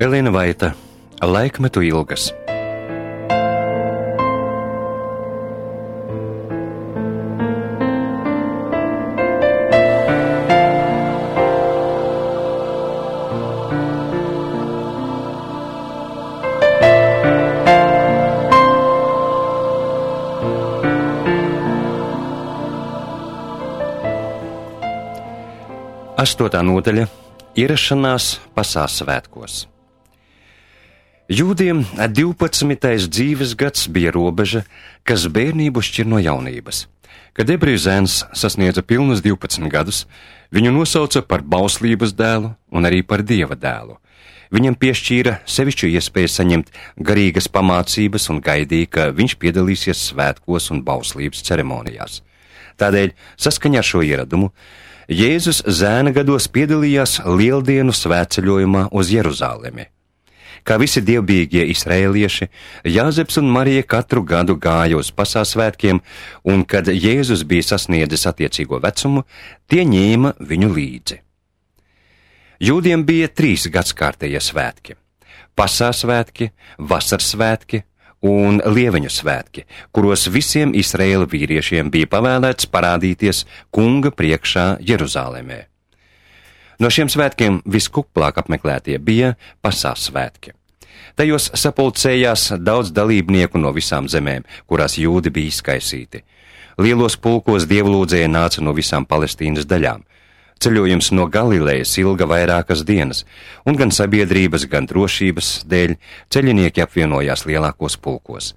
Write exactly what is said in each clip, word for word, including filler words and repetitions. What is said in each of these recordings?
Elīna Vaita, Laikmetu ilgas. Astotā nodaļa – ierašanās Pasās svētkos. Jūdiem divpadsmitais dzīves gads bija robeža, kas bērnību šķir no jaunības. Kad ebreju zēns sasniedza pilnus divpadsmit gadus, viņu nosauca par bauslības dēlu un arī par Dieva dēlu. Viņam piešķīra sevišķu iespēju saņemt garīgas pamācības un gaidīja, ka viņš piedalīsies svētkos un bauslības ceremonijās. Tādēļ, saskaņā ar šo ieradumu, Jēzus zēna gados piedalījās lieldienu svētceļojumā uz Jeruzālemi. Kā visi dievbijīgie izraēlieši, Jāzeps un Marija katru gadu gāja uz Pasās svētkiem, un kad Jēzus bija sasniedzis attiecīgo vecumu, tie ņēma viņu līdzi. Jūdiem bija trīs gadskārtējie svētki – Pasās svētki, vasaras svētki un Lieveņu svētki, kuros visiem Izraēla vīriešiem bija pavēlēts parādīties kunga priekšā Jeruzālēmē. No šiem svētkiem viskuplāk apmeklētie bija Pasās svētki. Tajos sapulcējās daudz dalībnieku no visām zemēm, kurās jūdi bija izkaisīti. Lielos pulkos dievlūdzēji nāca no visām Palestīnas daļām. Ceļojums no Galilejas ilga vairākas dienas, un gan sabiedrības, gan drošības dēļ ceļinieki apvienojās lielākos pulkos.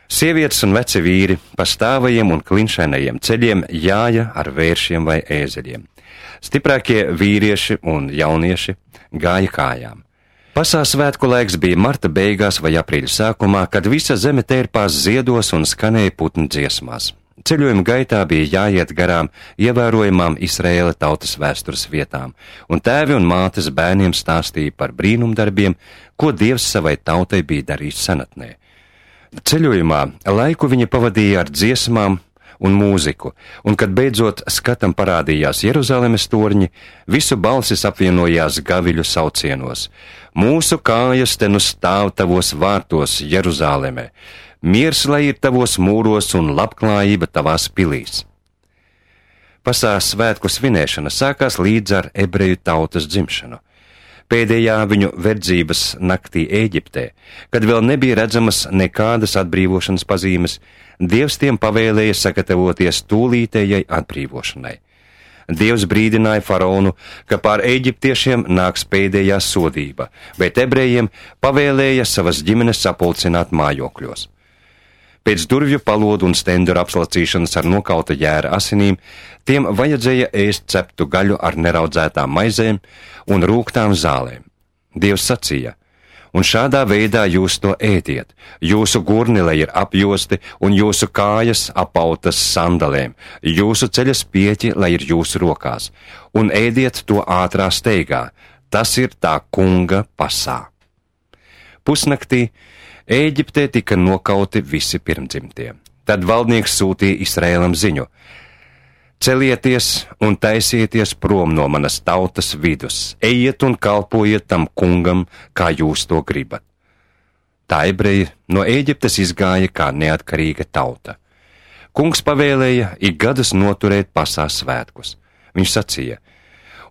Sievietes un veci vīri pa stāvajiem un klinšainajiem ceļiem jāja ar vēršiem vai ēzeļiem. Stiprākie vīrieši un jaunieši gāja kājām. Pasās svētku laiks bija marta beigās vai aprīļa sākumā, kad visa zeme tērpās ziedos un skanēja putnu dziesmās. Ceļojuma gaitā bija jāiet garām ievērojamām Izraēla tautas vēstures vietām, un tēvi un mātes bērniem stāstīja par brīnumdarbiem, ko Dievs savai tautai bija darījis senatnē. Ceļojumā laiku viņi pavadīja ar dziesmām un mūziku, un kad beidzot skatam parādījās Jeruzalemes torņi, visu balsis apvienojās gaviļu saucienos. Mūsu kājas te nu stāv tavos vārtos, Jeruzāleme, miers lai ir tavos mūros un labklājība tavās pilīs. Pasās svētku svinēšana sākās līdz ar ebreju tautas dzimšanu. Pēdējā viņu verdzības naktī Ēģiptē, kad vēl nebija redzamas nekādas atbrīvošanas pazīmes, Dievs tiem pavēlēja sagatavoties tūlītējai atbrīvošanai. Dievs brīdināja faraonu, ka pār eģiptiešiem nāks pēdējā sodība, bet ebrejiem pavēlēja savas ģimenes sapulcināt mājokļos. Pēc durvju palodu un stenduru apslacīšanas ar nokauta jēra asinīm, tiem vajadzēja ēst ceptu gaļu ar neraudzētām maizēm un rūgtām zālēm. Dievs sacīja: un šādā veidā jūs to ēdiet, jūsu gurni lai ir apjosti un jūsu kājas apautas sandalēm, jūsu ceļas pieķi lai ir jūsu rokās, un ēdiet to ātrā steigā, tas ir tā kunga pasā. Pusnaktī Ēģiptē tika nokauti visi pirmdzimtie. Tad valdnieks sūtīja Izraēlam ziņu: celieties un taisieties prom no manas tautas vidus, ejiet un kalpojiet tam kungam, kā jūs to gribat. Tā ebreji no Ēģiptes izgāja kā neatkarīga tauta. Kungs pavēlēja ik gadus noturēt Pasās svētkus. Viņš sacīja: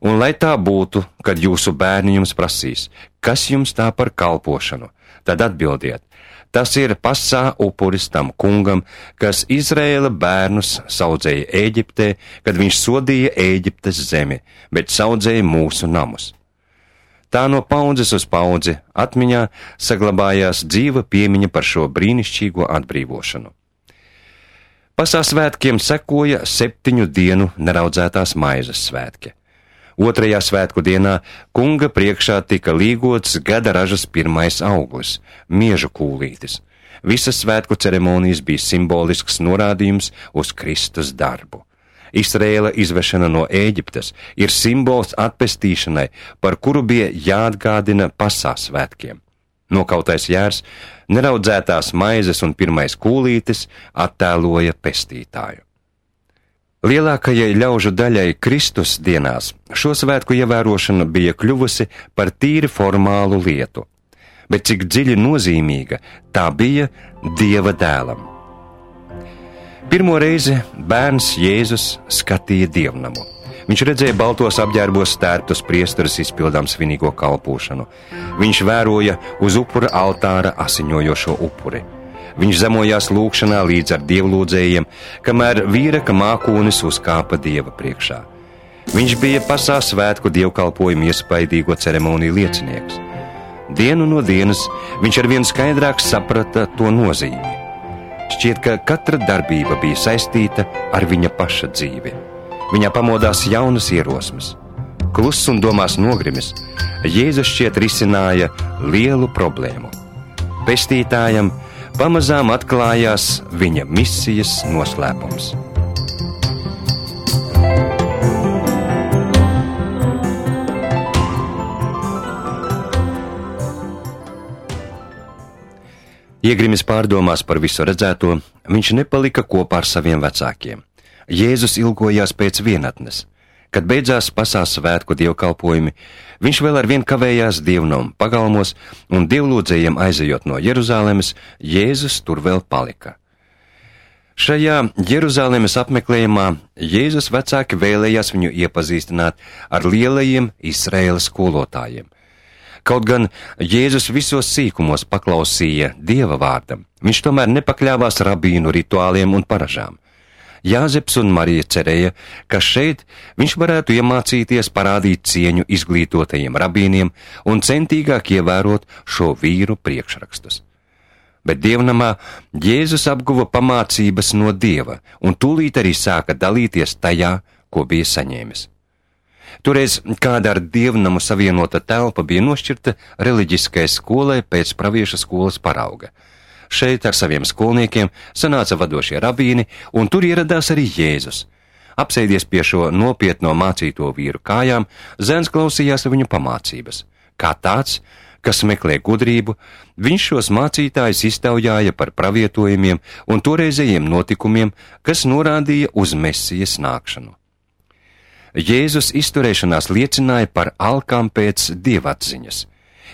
un lai tā būtu, kad jūsu bērni jums prasīs, kas jums tā par kalpošanu, tad atbildiet: tas ir pasā upuris tam kungam, kas Izraēla bērnus saudzēja Ēģiptē, kad viņš sodīja Ēģiptes zemi, bet saudzēja mūsu namus. Tā no paudzes uz paudzi atmiņā saglabājās dzīva piemiņa par šo brīnišķīgo atbrīvošanu. Pasās svētkiem sekoja septiņu dienu neraudzētās maizes svētki. Otrajā svētku dienā kunga priekšā tika līgots gada ražas pirmais auglis – miežu kūlītis. Visas svētku ceremonijas bija simbolisks norādījums uz Kristus darbu. Izraēla izvešana no Ēģiptes ir simbols atpestīšanai, par kuru bija jāatgādina Pasās svētkiem. Nokautais jērs, neraudzētās maizes un pirmais kūlītis attēloja pestītāju. Lielākajai ļaužu daļai Kristus dienās šo svētku ievērošana bija kļuvusi par tīri formālu lietu. bet cik dziļi nozīmīga tā bija Dieva dēlam. Pirmo reizi bērns Jēzus skatīja dievnamu. Viņš redzēja baltos apģērbos stērptus priesteris izpildām svinīgo kalpošanu. Viņš vēroja uz upura altāra asiņojošo upuri. Viņš zemojās lūgšanā līdz ar dievlūdzējiem, kamēr vīraka mākonis uzkāpa Dieva priekšā. Viņš bija pasā svētku dievkalpojumu iespaidīgo ceremoniju liecinieks. Dienu no dienas viņš arvien skaidrāk saprata to nozīmi. Šķiet, ka katra darbība bija saistīta ar viņa paša dzīvi. Viņā pamodās jaunas ierosmes. Kluss un domās nogrimis, Jēzus šķiet risināja lielu problēmu. Pestītājam pamazām atklājās viņa misijas noslēpums. Iegrimis pārdomās par visu redzēto, viņš nepalika kopā ar saviem vecākiem. Jēzus ilgojās pēc vienatnes. Kad beidzās pasās svētku dievkalpojumi, viņš vēl ar vien kavējās dievnam pagalmos, un dievlūdzējiem aizejot no Jeruzālemes, Jēzus tur vēl palika. Šajā Jeruzālemes apmeklējumā Jēzus vecāki vēlējās viņu iepazīstināt ar lielajiem Izraēlas skolotājiem. Kaut gan Jēzus visos sīkumos paklausīja Dieva vārdam, viņš tomēr nepakļāvās rabīnu rituāliem un paražām. Jāzeps un Marija cerēja, ka šeit viņš varētu iemācīties parādīt cieņu izglītotajiem rabīniem un centīgāk ievērot šo vīru priekšrakstus. Bet dievnamā Jēzus apguva pamācības no Dieva un tūlīt arī sāka dalīties tajā, ko bija saņēmis. Toreiz kāda ar dievnamu savienota telpa bija nošķirta reliģiskai skolai pēc pravieša skolas parauga. Šeit ar saviem skolniekiem sanāca vadošie rabīni, un tur ieradās arī Jēzus. Apsēdies pie šo nopietno mācīto vīru kājām, zēns klausījās viņu pamācības. Kā tāds, kas meklē gudrību, viņš šos mācītājus iztaujāja par pravietojumiem un toreizējiem notikumiem, kas norādīja uz Mesijas nākšanu. Jēzus izturēšanās liecināja par alkām pēc dievatziņas.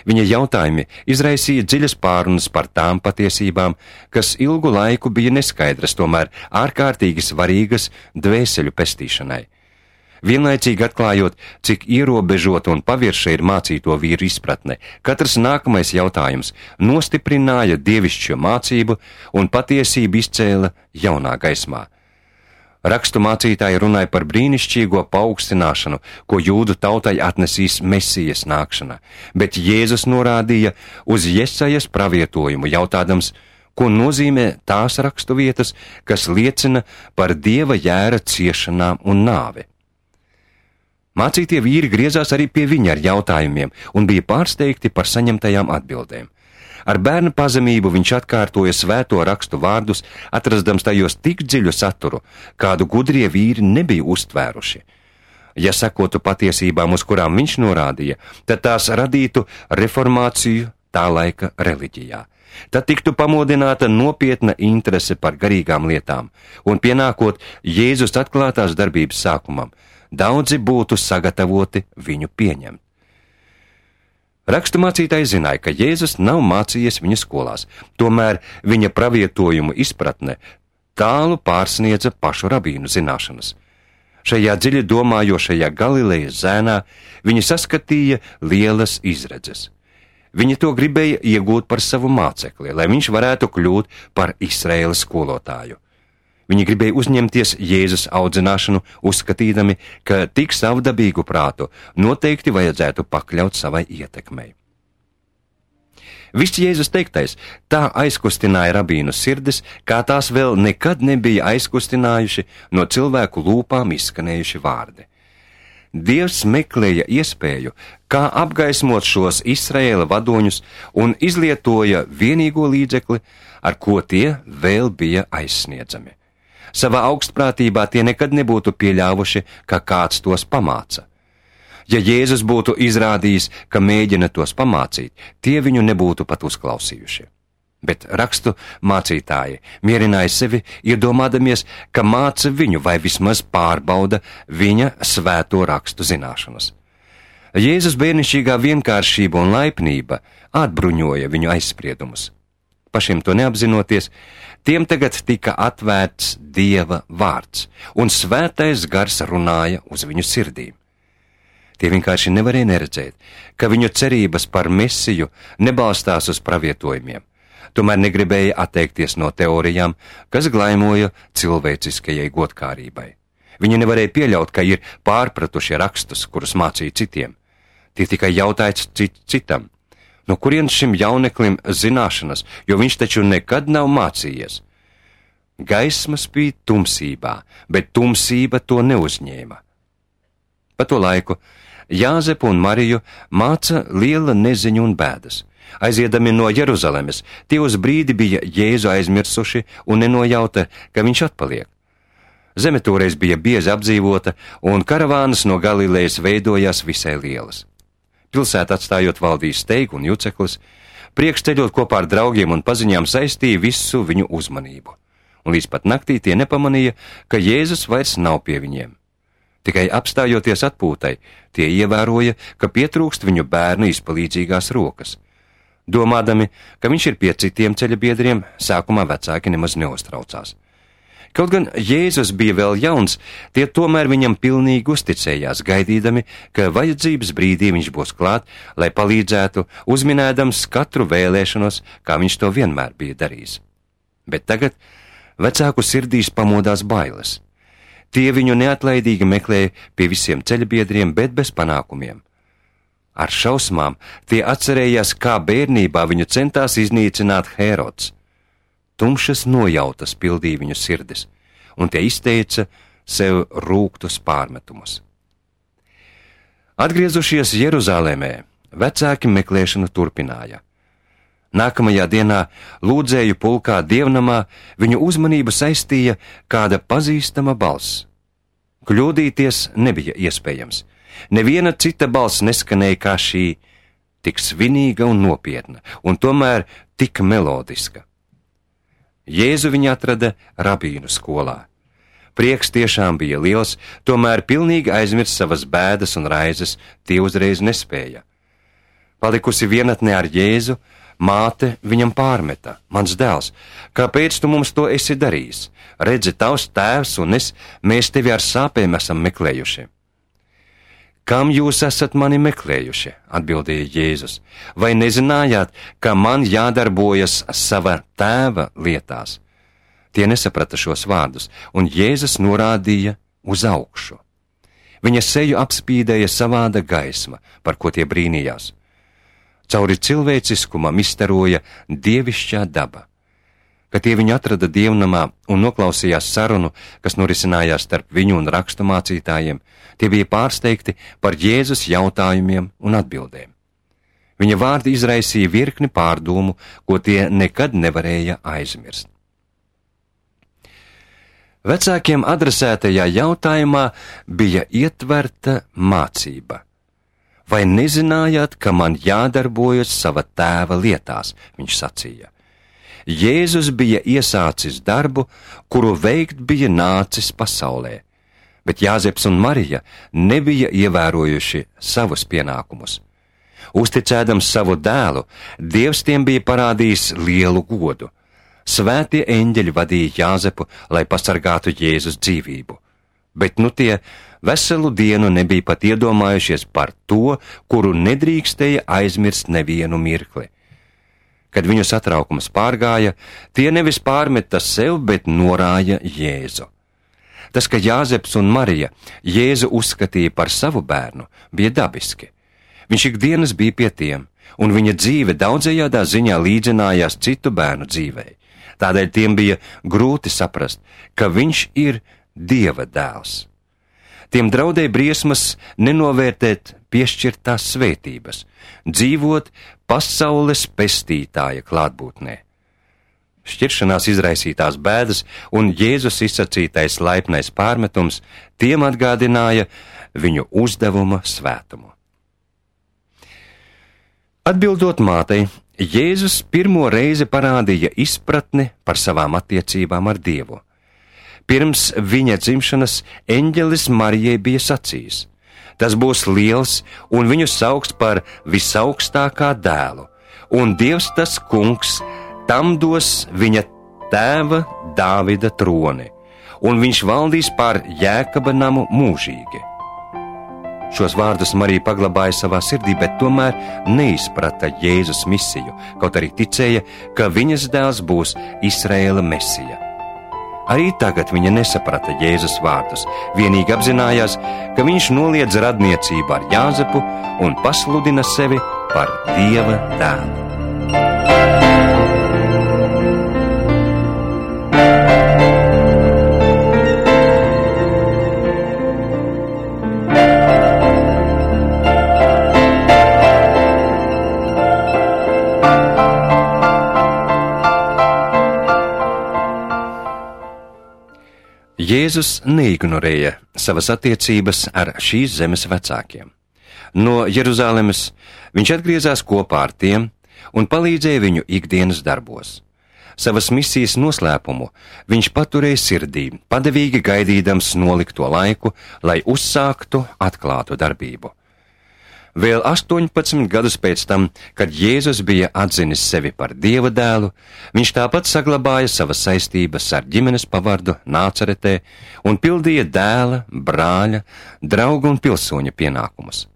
Viņa jautājumi izraisīja dziļas pārunas par tām patiesībām, kas ilgu laiku bija neskaidras, tomēr ārkārtīgi svarīgas dvēseļu pestīšanai. Vienlaicīgi atklājot, cik ierobežota un pavirša ir mācīto vīru izpratne, katrs nākamais jautājums nostiprināja dievišķo mācību un patiesību izcēla jaunā gaismā. Rakstu mācītāji runāja par brīnišķīgo paaugstināšanu, ko jūdu tautai atnesīs Mesijas nākšana, bet Jēzus norādīja uz Jesajas pravietojumu, jautādams, ko nozīmē tās rakstu vietas, kas liecina par Dieva jēra ciešanām un nāvi. Mācītie vīri griezās arī pie viņa ar jautājumiem un bija pārsteigti par saņemtajām atbildēm. Ar bērnu pazemību viņš atkārtoja svēto rakstu vārdus, atrastams tajos tik dziļu saturu, kādu gudrie vīri nebija uztvēruši. Ja sekotu patiesībām, uz kurām viņš norādīja, tad tās radītu reformāciju tā laika reliģijā. Tad tiktu pamodināta nopietna interese par garīgām lietām, un pienākot Jēzus atklātās darbības sākumam, daudzi būtu sagatavoti viņu pieņemt. Raksturmācītāji zināja, ka Jēzus nav mācījies viņa skolās, tomēr viņa pravietojumu izpratne tālu pārsniedza pašu rabīnu zināšanas. Šajā dziļi domājošajā Galilejas zēnā viņi saskatīja lielas izredzes. Viņi to gribēja iegūt par savu mācekli, lai viņš varētu kļūt par Izraēlas skolotāju. Viņi gribēja uzņemties Jēzus audzināšanu, uzskatījami, ka tik savdabīgu prātu noteikti vajadzētu pakļaut savai ietekmei. Viss Jēzus teiktais tā aizkustināja rabīnu sirdis, kā tās vēl nekad nebija aizkustinājuši no cilvēku lūpām izskanējuši vārdi. Dievs meklēja iespēju, kā apgaismot šos Izraēla vadoņus un izlietoja vienīgo līdzekli, ar ko tie vēl bija aizsniedzami. Savā augstprātībā tie nekad nebūtu pieļāvuši, ka kāds tos pamāca. Ja Jēzus būtu izrādījis, ka mēģina tos pamācīt, tie viņu nebūtu pat uzklausījuši. Bet rakstu mācītāji mierināja sevi, iedomādamies, ka māca viņu vai vismaz pārbauda viņa svēto rakstu zināšanas. Jēzus bērnišķīgā vienkāršība un laipnība atbruņoja viņu aizspriedumus. Pašiem to neapzinoties, tiem tagad tika atvērts Dieva vārds, un svētais gars runāja uz viņu sirdīm. Tie vienkārši nevarēja neredzēt, ka viņu cerības par Mesiju nebalstās uz pravietojumiem, tomēr negribēja atteikties no teorijām, kas glaimoja cilvēciskajai godkārībai. Viņi nevarēja pieļaut, ka ir pārpratušie rakstus, kurus mācīja citiem. Tie tikai jautāja cit citam, no kurienes šim jauneklim zināšanas, jo viņš taču nekad nav mācījies. Gaisma spīd tumsībā, bet tumsība to neuzņēma. Pa to laiku Jāzepu un Mariju māca liela neziņa un bēdas. Aiziedami no Jeruzalemes, tie uz brīdi bija Jēzu aizmirsuši un nenojauta, ka viņš atpaliek. Zeme toreiz bija biezi apdzīvota, un karavānas no Galilejas veidojās visai lielas. Pilsētu atstājot valdīja steigu un juceklis, priekšceļot kopā ar draugiem un paziņām saistīja visu viņu uzmanību, un līdz pat naktī tie nepamanīja, ka Jēzus vairs nav pie viņiem. Tikai apstājoties atpūtai, tie ievēroja, ka pietrūkst viņu bērnu izpalīdzīgās rokas. Domādami, ka viņš ir pie citiem ceļa biedriem, sākumā vecāki nemaz neuztraucās. Kaut gan Jēzus bija vēl jauns, tie tomēr viņam pilnīgi uzticējās, gaidīdami, ka vajadzības brīdī viņš būs klāt, lai palīdzētu, uzminēdams katru vēlēšanos, kā viņš to vienmēr bija darījis. Bet tagad vecāku sirdīs pamodās bailes. Tie viņu neatlaidīgi meklēja pie visiem ceļbiedriem, bet bez panākumiem. Ar šausmām tie atcerējās, kā bērnībā viņu centās iznīcināt Hērods. Tumšas nojautas pildīja viņu sirdis, un tie izteica sev rūgtus pārmetumus. Atgriezušies Jeruzālēmē, vecāki meklēšanu turpināja. Nākamajā dienā lūdzēju pulkā dievnamā viņu uzmanību saistīja kāda pazīstama balss. Kļūdīties nebija iespējams. Neviena cita balss neskanēja kā šī, tik svinīga un nopietna, un tomēr tik melodiska. Jēzu viņa atrada rabīnu skolā. Prieks tiešām bija liels, tomēr pilnīgi aizmirst savas bēdas un raizes tie uzreiz nespēja. Palikusi vienatnē ar Jēzu, māte viņam pārmeta: mans dēls, kāpēc tu mums to esi darījis? Redzi, tavs tēvs un es, mēs tevi ar sāpēm esam meklējuši. Kam jūs esat mani meklējuši? Atbildēja Jēzus. Vai nezinājāt, ka man jādarbojas sava tēva lietās? Tie nesaprata šos vārdus, un Jēzus norādīja uz augšu. Viņa seju apspīdēja savāda gaisma, par ko tie brīnījās. Cauri cilvēciskumam izstaroja dievišķā daba. Kad tie viņu atrada dievnamā un noklausījās sarunu, kas norisinājās starp viņu un rakstu mācītājiem, tie bija pārsteigti par Jēzus jautājumiem un atbildēm. Viņa vārdi izraisīja virkni pārdomu, ko tie nekad nevarēja aizmirst. Vecākiem adresētajā jautājumā bija ietverta mācība. Vai nezinājāt, ka man jādarbojas sava tēva lietās, viņš sacīja. Jēzus bija iesācis darbu, kuru veikt bija nācis pasaulē, bet Jāzeps un Marija nebija ievērojuši savus pienākumus. Uzticēdams savu dēlu, Dievs tiem bija parādījis lielu godu. Svētie eņģeļi vadīja Jāzepu, lai pasargātu Jēzus dzīvību, bet nu tie veselu dienu nebija pat iedomājušies par to, kuru nedrīkstēja aizmirst nevienu mirkli. Kad viņu satraukums pārgāja, tie nevis pārmeta sev, bet norāja Jēzu. Tas, ka Jāzeps un Marija Jēzu uzskatīja par savu bērnu, bija dabiski. Viņš ikdienas bija pie tiem, un viņa dzīve daudzējādā ziņā līdzinājās citu bērnu dzīvei. Tādēļ tiem bija grūti saprast, ka viņš ir Dieva dēls. Tiem draudēja briesmas nenovērtēt piešķirtās svētības, dzīvot pasaules pestītāja klātbūtnē. Šķiršanās izraisītās bēdas un Jēzus izsacītais laipnais pārmetums tiem atgādināja viņu uzdevuma svētumu. Atbildot mātei, Jēzus pirmo reizi parādīja izpratni par savām attiecībām ar Dievu. Pirms viņa dzimšanas eņģelis Marijai bija sacījis: Tas būs liels, un viņu sauks par visaugstākā dēlu, un Dievs tas kungs tam dos viņa tēva Dāvida troni, un viņš valdīs pār Jēkaba namu mūžīgi. Šos vārdus Marija paglabāja savā sirdī, bet tomēr neizprata Jēzus misiju, kaut arī ticēja, ka viņas dēls būs Izraēla mesija. Arī tagad viņa nesaprata Jēzus vārdus, vienīgi apzinājās, ka viņš noliedz radniecību ar Jāzepu un pasludina sevi par Dieva dēlu. Jēzus neignorēja savas attiecības ar šīs zemes vecākiem. No Jeruzalemes viņš atgriezās kopā ar tiem un palīdzēja viņu ikdienas darbos. Savas misijas noslēpumu viņš paturēja sirdī, padevīgi gaidīdams nolikto laiku, lai uzsāktu atklātu darbību. Vēl astoņpadsmit gadus pēc tam, kad Jēzus bija atzinis sevi par Dieva dēlu, viņš tāpat saglabāja savas saistības ar ģimenes pavardu Nācaretē un pildīja dēla, brāļa, drauga un pilsoņa pienākumus.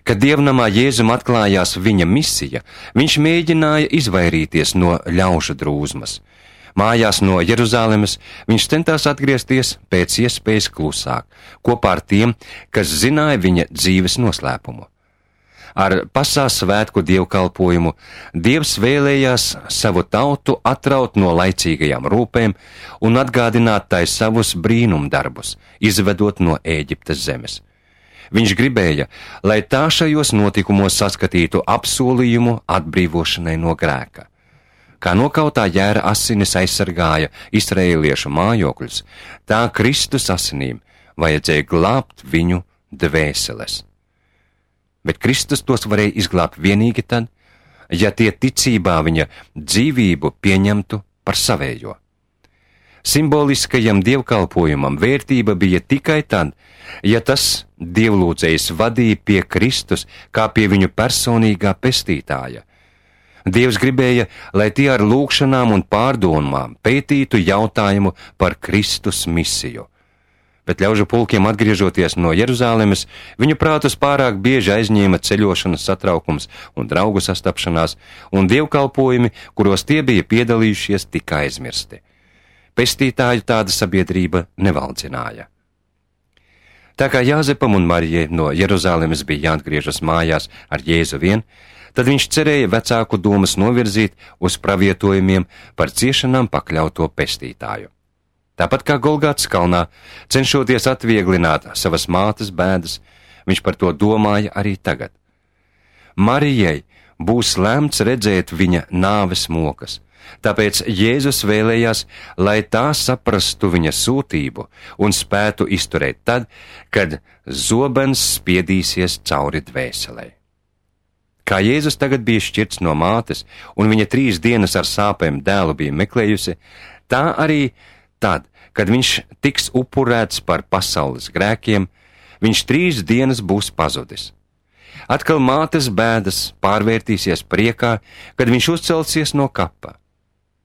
Kad dievnamā Jēzum atklājās viņa misija, viņš mēģināja izvairīties no ļaužu drūzmas. Mājās no Jeruzalemes viņš centās atgriezties pēc iespējas klusāk, kopā ar tiem, kas zināja viņa dzīves noslēpumu. Ar pasās svētku dievkalpojumu Dievs vēlējās savu tautu atraut no laicīgajām rūpēm un atgādināt tai savus brīnumdarbus, izvedot no Ēģiptes zemes. Viņš gribēja, lai tā šajos notikumos saskatītu apsolījumu atbrīvošanai no grēka. Kā nokautā jēra asinis aizsargāja izraēliešu mājokļus, tā Kristus asinīm vajadzēja glābt viņu dvēseles. Bet Kristus tos varēja izglābt vienīgi tad, ja tie ticībā viņa dzīvību pieņemtu par savējo. Simboliskajam dievkalpojumam vērtība bija tikai tad, ja tas dievlūdzējs vadīja pie Kristus kā pie viņu personīgā pestītāja. Dievs gribēja, lai tie ar lūgšanām un pārdomām pētītu jautājumu par Kristus misiju. Bet ļaužu pulkiem atgriežoties no Jeruzalemes, viņu prātus pārāk bieži aizņēma ceļošanas satraukums un draugu sastapšanās, un dievkalpojumi, kuros tie bija piedalījušies, tika aizmirsti. Pestītāju tāda sabiedrība nevaldzināja. Tā kā Jāzepam un Marijai no Jeruzalemes bija jāatgriežas mājās ar Jēzu vien, tad viņš cerēja vecāku domas novirzīt uz pravietojumiem par ciešanām pakļauto pestītāju. Tāpat kā Golgātas kalnā, cenšoties atvieglināt savas mātes bēdas, viņš par to domāja arī tagad. Marijai būs lemts redzēt viņa nāves mokas, tāpēc Jēzus vēlējās, lai tā saprastu viņa sūtību un spētu izturēt tad, kad zobens spiedīsies cauri dvēselei. Kā Jēzus tagad bija šķirts no mātes, un viņa trīs dienas ar sāpēm dēlu bija meklējusi, tā arī tad, kad viņš tiks upurēts par pasaules grēkiem, viņš trīs dienas būs pazudis. Atkal mātes bēdas pārvērtīsies priekā, kad viņš uzcelsies no kapa.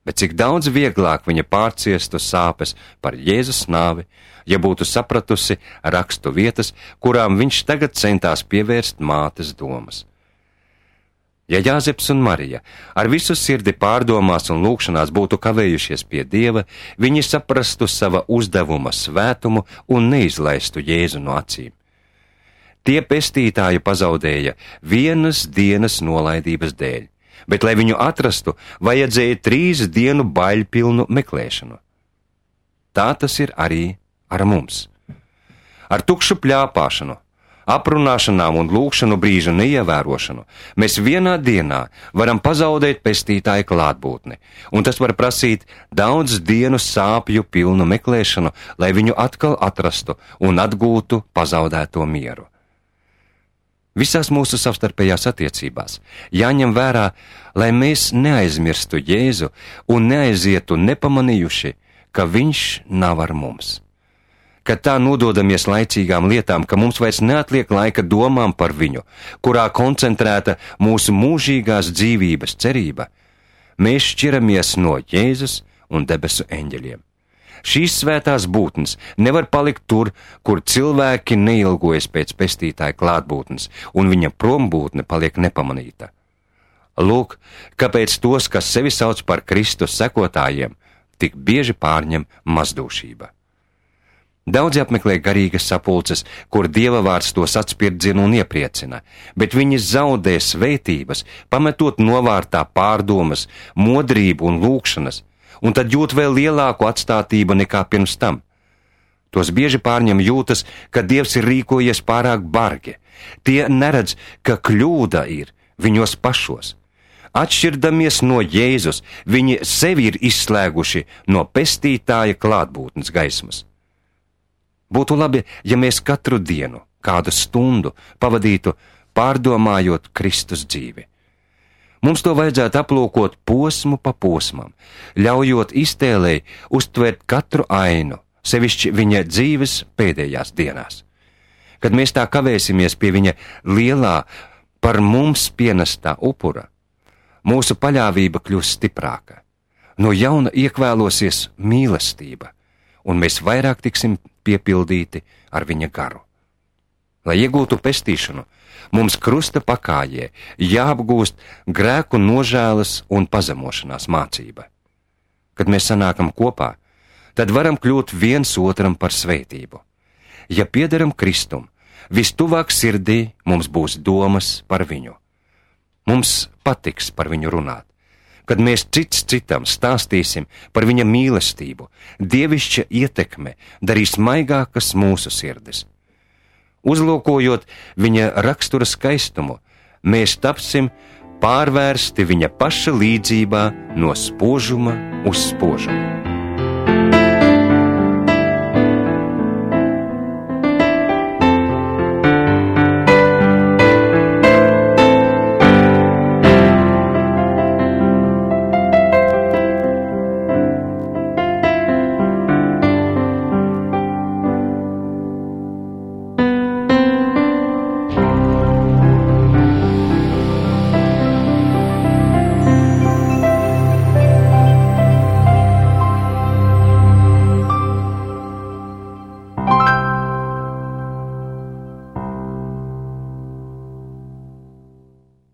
Bet cik daudz vieglāk viņa pārciestu sāpes par Jēzus nāvi, ja būtu sapratusi rakstu vietas, kurām viņš tagad centās pievērst mātes domas. Ja Jāzeps un Marija ar visu sirdi pārdomās un lūgšanās būtu kavējušies pie Dieva, viņi saprastu sava uzdevuma svētumu un neizlaistu Jēzu no acīm. Tie pestītāju pazaudēja vienas dienas nolaidības dēļ, bet, lai viņu atrastu, vajadzēja trīs dienu baļpilnu meklēšanu. Tā tas ir arī ar mums. Ar tukšu pļāpāšanu, aprunāšanām un lūgšanu brīžu neievērošanu mēs vienā dienā varam pazaudēt pestītāju klātbūtni, un tas var prasīt daudz dienu sāpju pilnu meklēšanu, lai viņu atkal atrastu un atgūtu pazaudēto mieru. Visās mūsu savstarpējās attiecībās jāņem vērā, lai mēs neaizmirstu Jēzu un neaizietu nepamanījuši, ka viņš nav ar mums. kad tā nododamies laicīgām lietām, ka mums vairs neatliek laika domām par viņu, kurā koncentrēta mūsu mūžīgās dzīvības cerība, mēs šķiramies no Jēzus un debesu eņģeļiem. Šīs svētās būtnes nevar palikt tur, kur cilvēki neilgojas pēc pestītāja klātbūtnes, un viņa prombūtne paliek nepamanīta. Lūk, kāpēc tos, kas sevi sauc par Kristus sekotājiem, tik bieži pārņem mazdūšība. Daudzi apmeklē garīgas sapulces, kur Dieva vārds tos atspirdzina un iepriecina, bet viņi zaudē svētības, pametot novārtā pārdomas, modrību un lūkšanas, un tad jūt vēl lielāku atstātību nekā pirms tam. Tos bieži pārņem jūtas, ka Dievs ir rīkojies pārāk bargi. Tie neredz, ka kļūda ir viņos pašos. Atšķirdamies no Jēzus, viņi sevi ir izslēguši no pestītāja klātbūtnes gaismas. Būtu labi, ja mēs katru dienu, kādu stundu pavadītu pārdomājot Kristus dzīvi. Mums to vajadzētu aplūkot posmu pa posmam, ļaujot iztēlei uztvert katru ainu, sevišķi viņa dzīves pēdējās dienās. Kad mēs tā kavēsimies pie viņa lielā, par mums pienestā upura, mūsu paļāvība kļūs stiprāka. No jauna iekvēlosies mīlestība, un mēs vairāk tiksim piepildīti ar viņa garu. Lai iegūtu pestīšanu, mums krusta pakājē jāapgūst grēku nožēlas un pazemošanās mācība. Kad mēs sanākam kopā, tad varam kļūt viens otram par svētību. Ja piederam Kristum, vistuvāk sirdī mums būs domas par viņu. Mums patiks par viņu runāt. Kad mēs cits citam stāstīsim par viņa mīlestību, dievišķa ietekme darīs maigākas mūsu sirdis. Uzlūkojot viņa rakstura skaistumu, mēs tapsim pārvērsti viņa paša līdzībā no spožuma uz spožumu.